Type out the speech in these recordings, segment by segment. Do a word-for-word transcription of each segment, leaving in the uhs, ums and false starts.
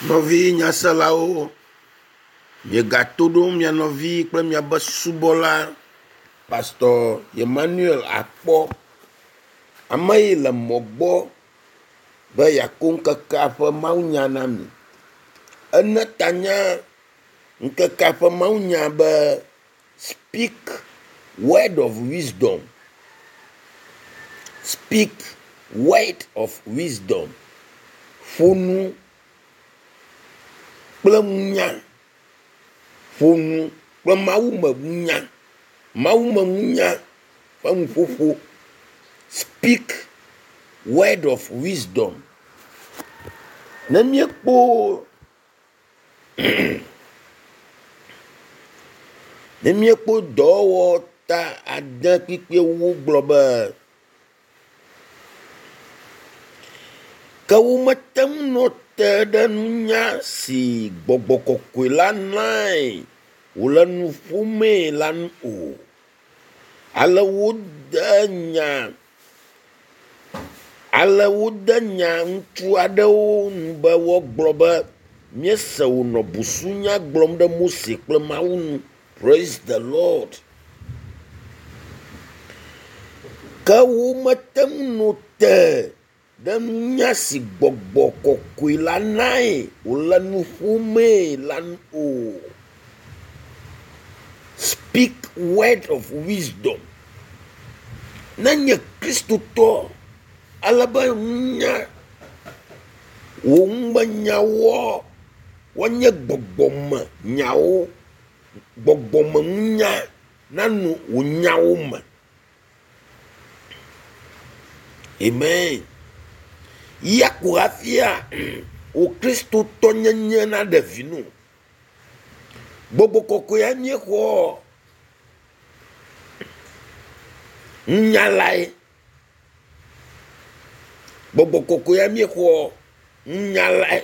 Nɔvi nyaselawo, miegato ɖo mia nɔvi kple miabe subɔla Pastor Emmanuel Akpɔ. Ame yi le mɔ gbɔ be yeako ŋkekea ƒe mawunya na mi. Ene ta nye ŋkekea ƒe mawunya be speak word of wisdom. Speak word of wisdom. Ƒo nu kple nunya. Ƒo nu kple mawume nunya. Mawume nunya ƒe nuƒoƒo. Speak word of wisdom. Ne míekpɔ ne míekpɔ dɔwɔwɔ ta ade kpukpui ewo gblɔ be ke womete ŋu nɔ te ɖe nunya si gbɔgbɔ kɔkɔe la nae wòle nu ƒomee la nu o. Ale wode nya ale wode nya ŋutsu aɖewo nu be woagblɔ be míese wònɔ busunya gblɔm ɖe Mose kple Mawu nu. Praise the Lord. Ke womete ŋu nɔ te ɖe nunya si gbɔgbɔ kɔkɔe la nae wòle nu ƒomee la nu o. Speak word of wisdom. Ne nye Kristotɔ ale be nunya wò numenyawoa woanye gbɔgbɔme nyawo, gbɔgbɔme nunya nano wò nyawo me. Amen. Ya ko hafia wò Kristotɔnyenye naɖe vi no. Gbɔgbɔ kɔkɔea míexɔ nunyalae. Gbɔgbɔ kɔkɔea míexɔ nunyalae.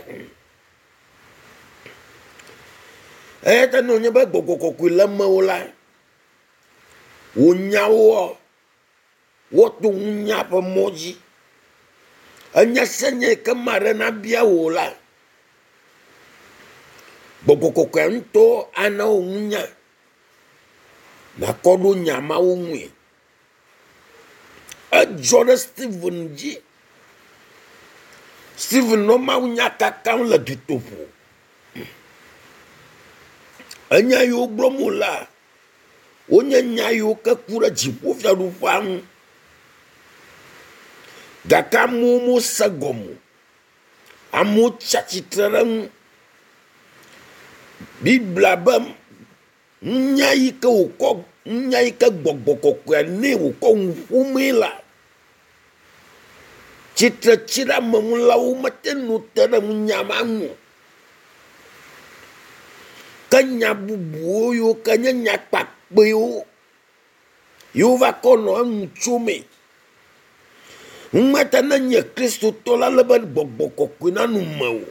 Eya ta ne wònye be gbɔgbɔ kɔkɔe le mewò la, wò nyawoa woato nunya ƒe mɔ dzi. Enya sia nya yi ke ame aɖe nabia wò la, gbɔgbɔ kɔkɔea ŋutɔ ana wò nunya nàkɔ ɖo nya mawo ŋue. Edzɔ ɖe Stephen dzi. Stephen nɔ mawunya kakam le dutoƒo. Enya yiwo gblɔm wòlea, wonye nya yiwo ke ku ɖe dziƒofiaɖuƒea ŋu. Gake amewo mose gɔme o. Amewo tsi atsitre ɖe eŋu. Biblia be nunya yi ke wòkɔ nunya yi ke gbɔgbɔ kɔkɔea nɛ wòkɔ nu ƒomee la, tsitretsiɖeameŋulawo mete ŋu nɔ te ɖe nunya ma ŋu o. Ke nya bubuwo yiwo ke nye nya kpakpɛwo yiwo va kɔ nɔ enu tsomee. Numata ne nye Kristotɔ la, ele be gbɔgbɔ kɔkɔe nano mewò.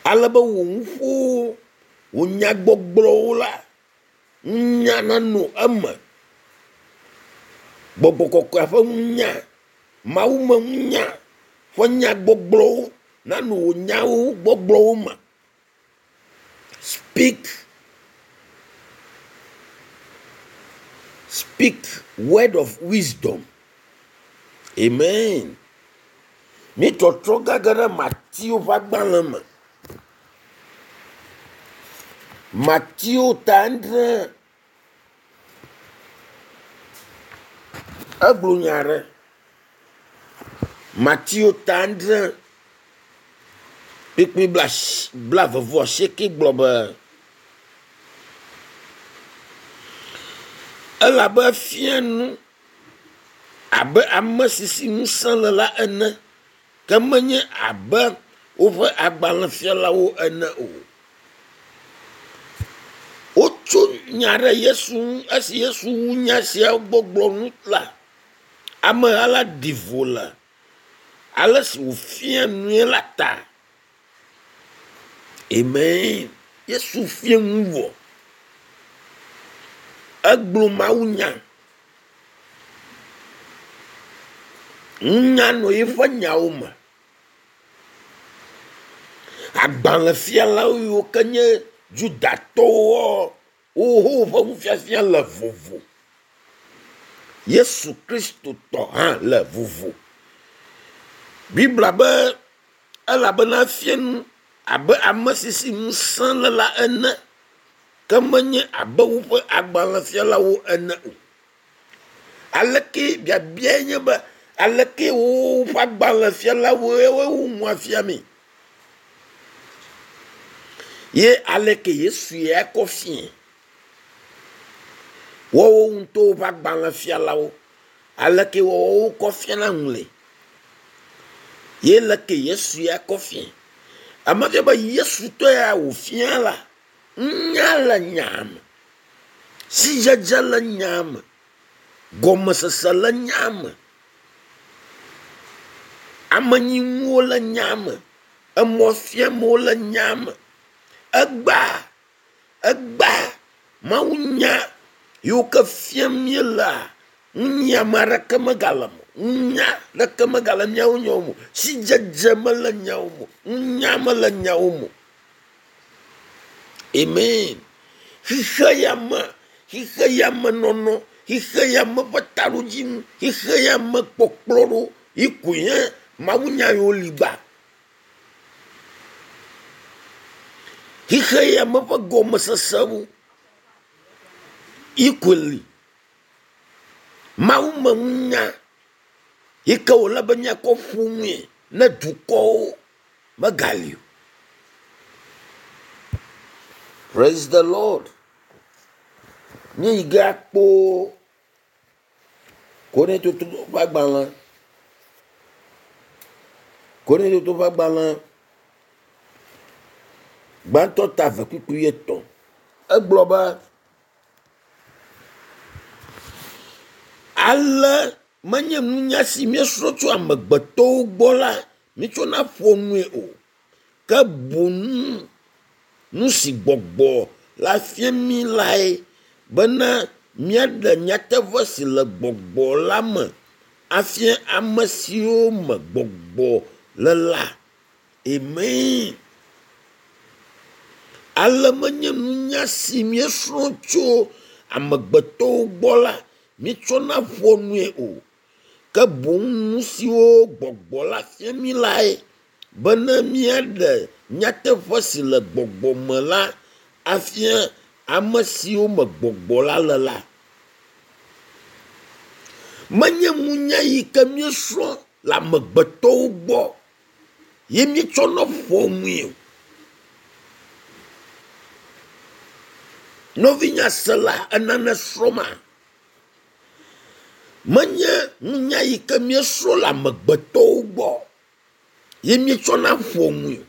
Ale be wò nuƒowo, wò nyagbɔgblɔwo la, nunya nano eme. Gbɔgbɔ kɔkɔea ƒe nunya, mawume nunya ƒe nyagbɔgblɔwo nano wò nyawo gbɔgblɔwo me. Speak speak word of wisdom. Amen. Mi trɔtrɔ gage ɖe Mateo ƒe agbalẽ me. Mateo ta adre egblɔ nya aɖe. Mateo ta adre kpukpui blaeve vɔ asieke gblɔ be elabe efia nu abe ame si si ŋusẽ le la ene ke menye abe woƒe agbalẽfialawo ene o. Wotso nya ɖe Yesu ŋu esi Yesu wu nya siawo gbɔgblɔ nu la, ameha la ɖi vo le ale si wòfia nue la ta. Amen. Yesu fia nu vɔ. Egblɔ mawunya. Nunya nɔ eƒe nyawo me. Agbalẽfialawo yiwo ke nye Judatɔwoa, woho woƒe nufiafia le vovo. Yesu Kristo tɔ hã le vovo. Biblia be elabena efia nu abe ame si si ŋusẽ le la ene ke menye abe woƒe agbalẽfialawo ene o. Aleke biabiae nye be aleke woƒe agbalẽfialawoe wo nua fia mi? Ye aleke Yesu ya kɔ fie? Woawo ŋutɔwo ƒe agbalẽfialawo aleke woawo kɔ fiana nu le? Ye leke Yesu ya kɔ fie? Ame fia be Yesu tɔ ya wòfia la, nunya le nya me, sidzedze le nya me, gɔmesese le nya me, amenyinuwo le nya me, emɔfiamewo le nya me. Egba, egba, Mawu nya yiwo ke fiam míelea, nunyiame aɖeke megale me o, nunya ɖeke megale míawo nyawo me o, sidzedze mele nyawo me o, nunya mele nyawo me o. Amen. Xixe ya me, xixe ya me nɔnɔ, xixe ya me ƒe taɖodzinu, xixe ya me kpɔkplɔ ɖo yi koe nye Mawu nya yiwo li gbã. Xixe ya me ƒe gɔmesesewo yi koe li. Mawu me nunya yi ke wòle be míakɔ ƒo nue ne dukɔwo megali o. Praise the Lord. Míeyi ge akpɔ Korintoto ƒe agbalẽ. Korintoto ƒe agbalẽ gbãtɔ ta eve kpukpui etɔ̃. Egblɔ be ale menye nunya si míesrɔ̃ tso amegbetɔwo gbɔ la míetsɔna ƒoa nue o, ke boŋ nu si gbɔgbɔ la fia mí lae bena míaɖe nyateƒe si le gbɔgbɔ la me afia ame siwo me gbɔgbɔ le la. Amen. Ale menye nunya si míesrɔ̃ tso amegbetɔwo gbɔ la míetsɔna ƒoa nue o, ke boŋ nu siwo gbɔgbɔ la fia mí lae bena míaɖe nyateƒe si le gbɔgbɔ me la afia ame siwo me gbɔgbɔ la le la. Menye nunya yi ke míesrɔ̃ le amegbetɔwo gbɔ ye míetsɔna ƒoa nue o. Nɔvinyasela enane srɔ̃ma? Menye nunya yi ke míesrɔ̃ le amegbetɔwo gbɔ ye míetsɔna ƒoa nue o.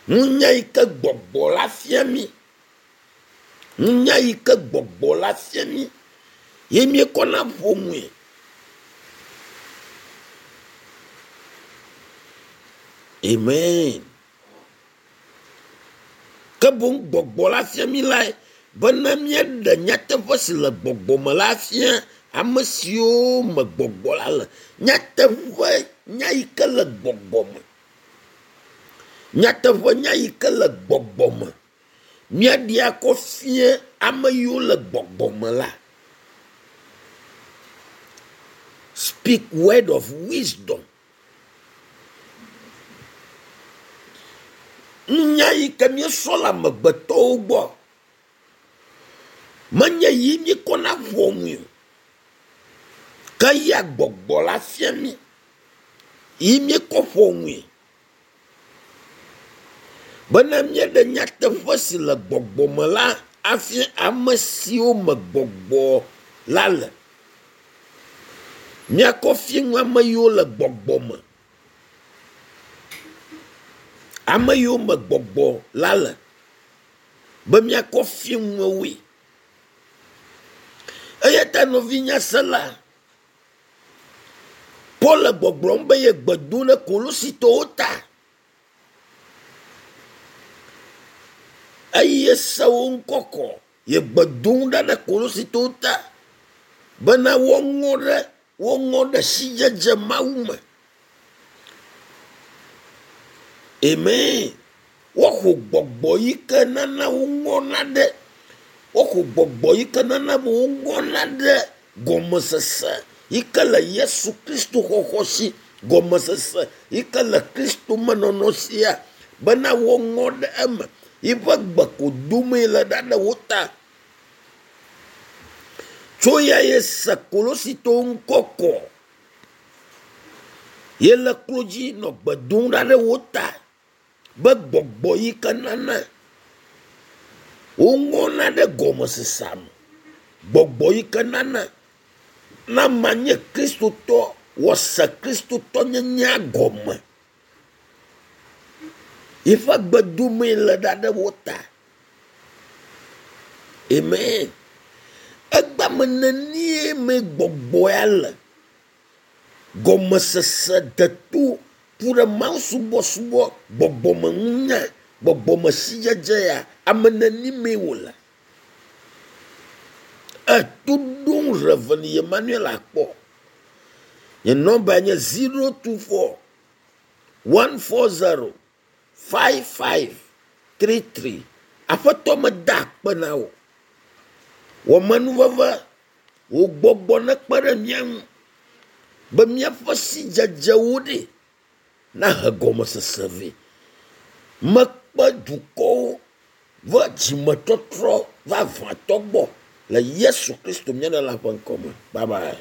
Nunya yi ke gbɔgbɔ la fia mí, nunya yi ke gbɔgbɔ la fia mí ye míekɔna ƒoa nue. Amen. Ke boŋ gbɔgbɔ la fia mí lae bena míaɖe nyateƒe si le gbɔgbɔ me la fia ame siwo me gbɔgbɔ la le. Nyateƒe nya yi ke le gbɔgbɔ me. Nyateƒe nya yi ke le gbɔgbɔ me. Míaɖe akɔ fia ame yiwo le gbɔgbɔ me la. Speak word of wisdom. Nunya yi ke míesrɔ̃ le amegbetɔwo gbɔ menye yi míekɔna ƒoa nue o, ke ya gbɔgbɔ la fia mí yi míekɔ ƒoa nue bena míaɖe nyateƒe si le gbɔgbɔ me la afia ame siwo me gbɔgbɔ la le. Míakɔ fia nu ame yiwo le gbɔgbɔ me. Ame yiwo me gbɔgbɔ la le be míakɔ fia nuwoe. Eya ta nɔvinyasela, Paul le gbɔgblɔm be ye gbe dom ɖe Kolositɔwo ta. Eye se wo ŋkɔ kɔ ye gbe dom ɖa ɖe Kolositɔwo ta bena woaŋɔ ɖe woaŋɔ ɖe sidzedze Mawu me. Amen. Woaxɔ gbɔgbɔ yi ke nana woŋɔna ɖe woaxɔ gbɔgbɔ yi ke nana be woŋɔna ɖe gɔmesese yi ke le Yesu Kristo xɔxɔ si gɔmesese yi ke le Kristo menɔnɔ sia bena woŋɔ ɖe eme yiƒe gbe ko domee le ɖa ɖe wo ta. Tso ya ye se Kolositɔwo ŋkɔ kɔ ye le klo dzi nɔ gbe dom ɖa ɖe wo ta be gbɔgbɔ yi ke nana woŋɔna ɖe gɔmesesea me. Gbɔgbɔ yi ke nana na manye kristotɔ wɔse kristotɔnyenyea gɔme. Yiƒe gbe domee le ɖa ɖe wo ta. Amen. Egba me nenie me gbɔgbɔ ya le. Gɔmesese deto ku ɖe Mawu subɔsubɔ gbɔgbɔmenunya gbɔgbɔmesidzedze ya ame neni mee wòle. Eto ɖom Reverend Emmanuel akpɔ. Nye nɔmba nye zero two four one four zero five five three three. Aƒetɔ meda akpe na wò. Wɔ menuveve wò gbɔgbɔ nekpe ɖe mía ŋu be míaƒe sidzedzewo ɖe nahe gɔmesese vɛ. Mekpe dukɔwo va dzimetɔtrɔ vavãtɔ gbɔ le Yesu Kristo mía Ɖela ƒe ŋkɔ me. Bye bye.